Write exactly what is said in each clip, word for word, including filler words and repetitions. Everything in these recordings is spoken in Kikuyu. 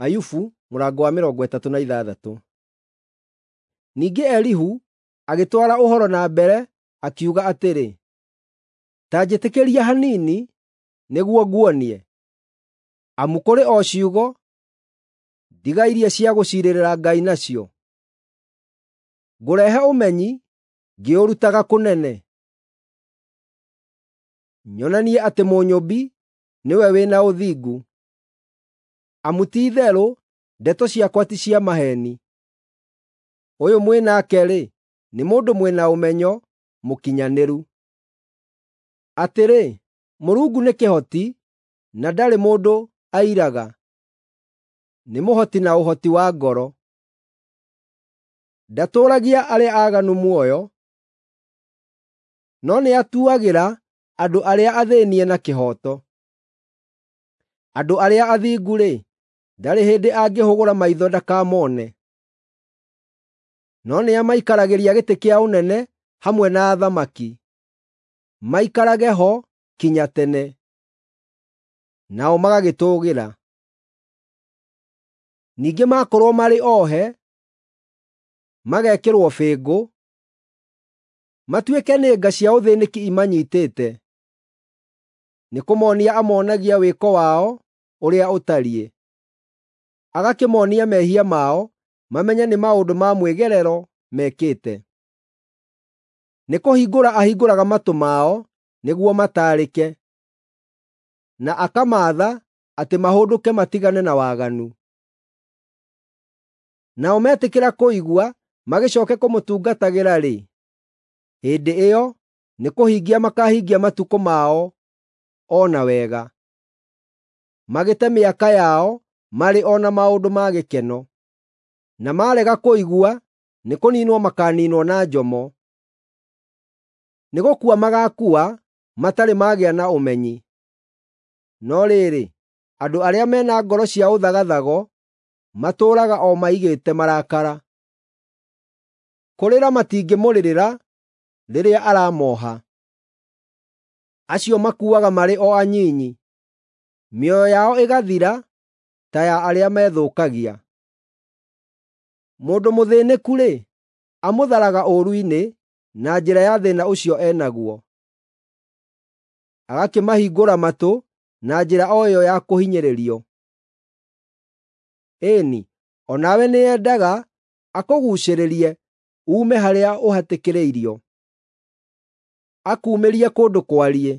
Ayubu mũrango wa mĩrongo ĩtatũ na ithathatũ. Ningĩ Elihu agĩtwara ũhoro na mbere akiuga atĩrĩ, “Ta njĩtĩkĩria hanini nĩguo nguonie, amu kũrĩ o ciugo ndigairie cia gũciirĩrĩra Ngai nacio. Ngũrehe ũmenyi ngĩũrutaga kũnene, nyonanie atĩ Mũnyũmbi nĩwe wĩ na ũthingu, amu ti-itherũ ndeto ciakwa ti cia maheeni. Ũyũ mwĩ nake-rĩ, nĩ mũndũ mwĩ na ũmenyo mũkinyanĩru. Atĩrĩ, Mũrungu nĩ kĩhoti na ndarĩ mũndũ airaga, nĩ mũhoti na ũhoti wa ngoro. Ndatũũragia arĩa aaganu muoyo, no nĩatuagĩra andũ arĩa athĩĩnie na kĩhooto. Andũ arĩa athingu-rĩ, ndarĩ hĩndĩ angĩhũgũra maitho ndakamone, no nĩamaikaragĩria gĩtĩ kĩa ũnene hamwe na athamaki, maikarage ho kinya tene, nao magagĩtũũgĩra. Ningĩ maakorwo marĩ ohe, magekĩrwo bĩngũ, matuĩke nĩ nga cia ũthĩĩnĩki imanyiitĩte, nĩkũmoonia amonagia wĩko wao ũrĩa ũtariĩ, agakĩmoonia mehia mao mamenye nĩ maũndũ ma mwĩgerero mekĩte. Nĩkũhingũra ahingũraga matũ mao nĩguo mataarĩke, na akamaatha atĩ mahũndũke matigane na waganu. Nao metĩkĩra kũigua magĩcooke kũmũtungatagĩra-rĩ, hĩndĩ ĩyo nĩkũhingia makaahingia matukũ mao o na wega, magĩte mĩaka yao marĩ o na maũndũ ma gĩkeno. Na maarega kũigua nĩkũniinwo makaaniinwo na njomo. Nĩgũkua magaakua matarĩ magĩa na ũmenyi. No rĩrĩ, andũ arĩa me na ngoro cia ũthagathago matũũraga o maigĩte marakara. Kũrĩra matingĩmũrĩrĩra rĩrĩa aramooha. Acio makuaga marĩ o anyinyi, mĩoyo yao ĩgathira ta ya arĩa methũkagia. Mũndũ mũthĩĩnĩku-rĩ, amũtharaga ũũru-inĩ na njĩra ya thĩĩna ũcio e naguo, agakĩmahingũra matũ na njĩra o ĩyo ya kũhinyĩrĩrio. Ĩĩ-ni, o nawe nĩendaga akũguucĩrĩrie uume harĩa ũhatĩkĩrĩirio, akuumĩrie kũndũ kwariĩ,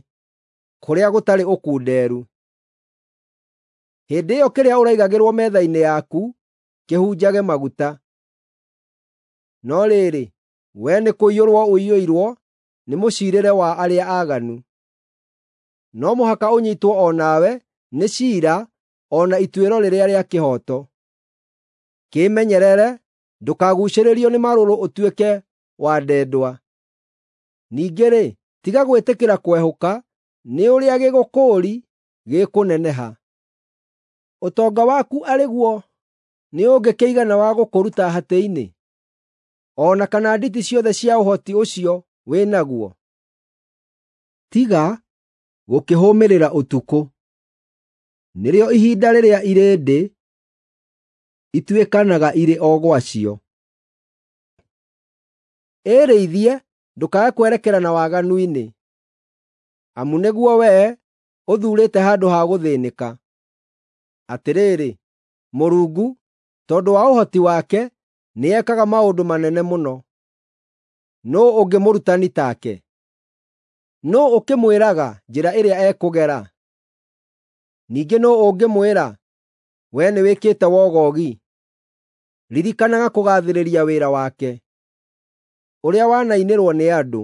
kũrĩa gũtarĩ ũkunderu. Hĩndĩ ĩyo kĩrĩa ũraigagĩrwo metha-inĩ yaku kĩhunjage maguta. No rĩrĩ, wee nĩkũiyũrwo ũiyũirwo nĩ mũciirĩre wa arĩa aaganu. No mũhaka ũnyiitwo o nawe nĩ ciira o na ituĩro rĩrĩa rĩa kĩhooto. Kĩĩmenyerere ndũkaguucĩrĩrio nĩ marũrũ ũtuĩke wa ndendwa. Ningĩ-rĩ, tiga gwĩtĩkĩra kwehũka nĩ ũrĩa gĩgũkũũri gĩkũneneha. Ũtonga waku arĩ guo nĩũngĩkĩigana wa gũkũruta hatĩ-inĩ, o na kana nditi ciothe cia ũhoti ũcio wĩ naguo? Tiga gũkĩhũmĩrĩra ũtukũ, nĩrĩo ihinda rĩrĩa irĩndĩ ituĩkanaga irĩ o gwacio. Ĩrĩithie ndũkae kwerekera na waganu-inĩ, amu nĩguo wee ũthuurĩte handũ ha gũthĩĩnĩka. Atĩrĩrĩ, Mũrungu, tondũ wa ũhoti wake, nĩekaga maũndũ manene mũno. Nũũ ũngĩ mũrutani take? Nũũ ũkĩmwĩraga njĩra ĩrĩa ekũgera? Ningĩ nũũ ũngĩmwĩra, “Wee nĩwĩkĩte wogogi”? Ririkanaga kũgaathĩrĩria wĩra wake, ũrĩa wanainĩrwo nĩ andũ.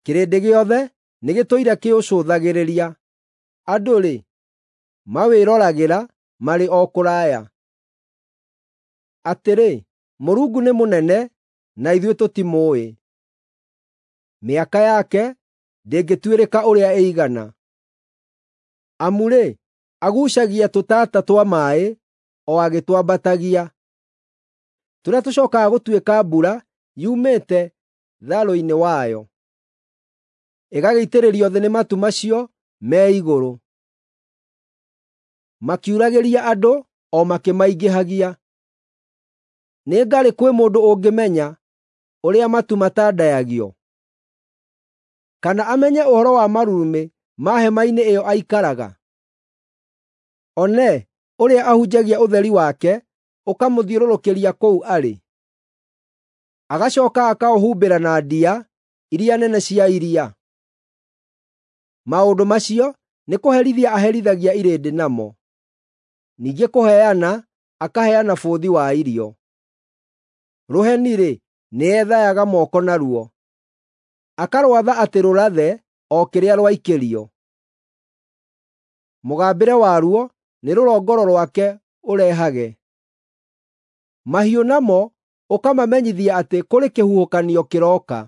Kĩrĩndĩ gĩothe nĩgĩtũire kĩũcũthagĩrĩria; andũ-rĩ, mawĩroragĩra marĩ o kũraya. Atĩrĩ, Mũrungu nĩ mũnene na ithuĩ tũtimũũĩ; mĩaka yake ndĩngĩtuĩrĩka ũrĩa ĩigana. Amu-rĩ, aguucagia tũtata twa maaĩ o agĩtwambatagia, tũrĩa tũcookaga gũtuĩka mbura yumĩte tharũ-inĩ wayo, ĩgagĩitĩrĩrio thĩ nĩ matu macio me igũrũ, makiuragĩria andũ o makĩmaingĩhagia. Nĩ ngarĩ kwĩ mũndũ ũngĩmenya ũrĩa matu matandayagio? Kana amenye ũhoro wa marurumĩ ma hema-inĩ ĩyo aikaraga? One ũrĩa ahunjagia ũtheri wake ũkamũthiũrũrũkĩria kũu arĩ, agacooka akaũhumbĩra na ndia iria nene cia iria. Maũndũ macio nĩkũherithia aherithagia irĩndĩ namo, ningĩ kũheana akaheana bũthi wa irio. Rũheni-rĩ, nĩethayaga moko naruo, akarwatha atĩ rũrathe o kĩrĩa rwaikĩrio. Mũgambĩre waruo nĩ rũrongoro rwake ũrehage. Mahiũ namo ũkamamenyithia atĩ kũrĩ kĩhuhũkanio kĩroka.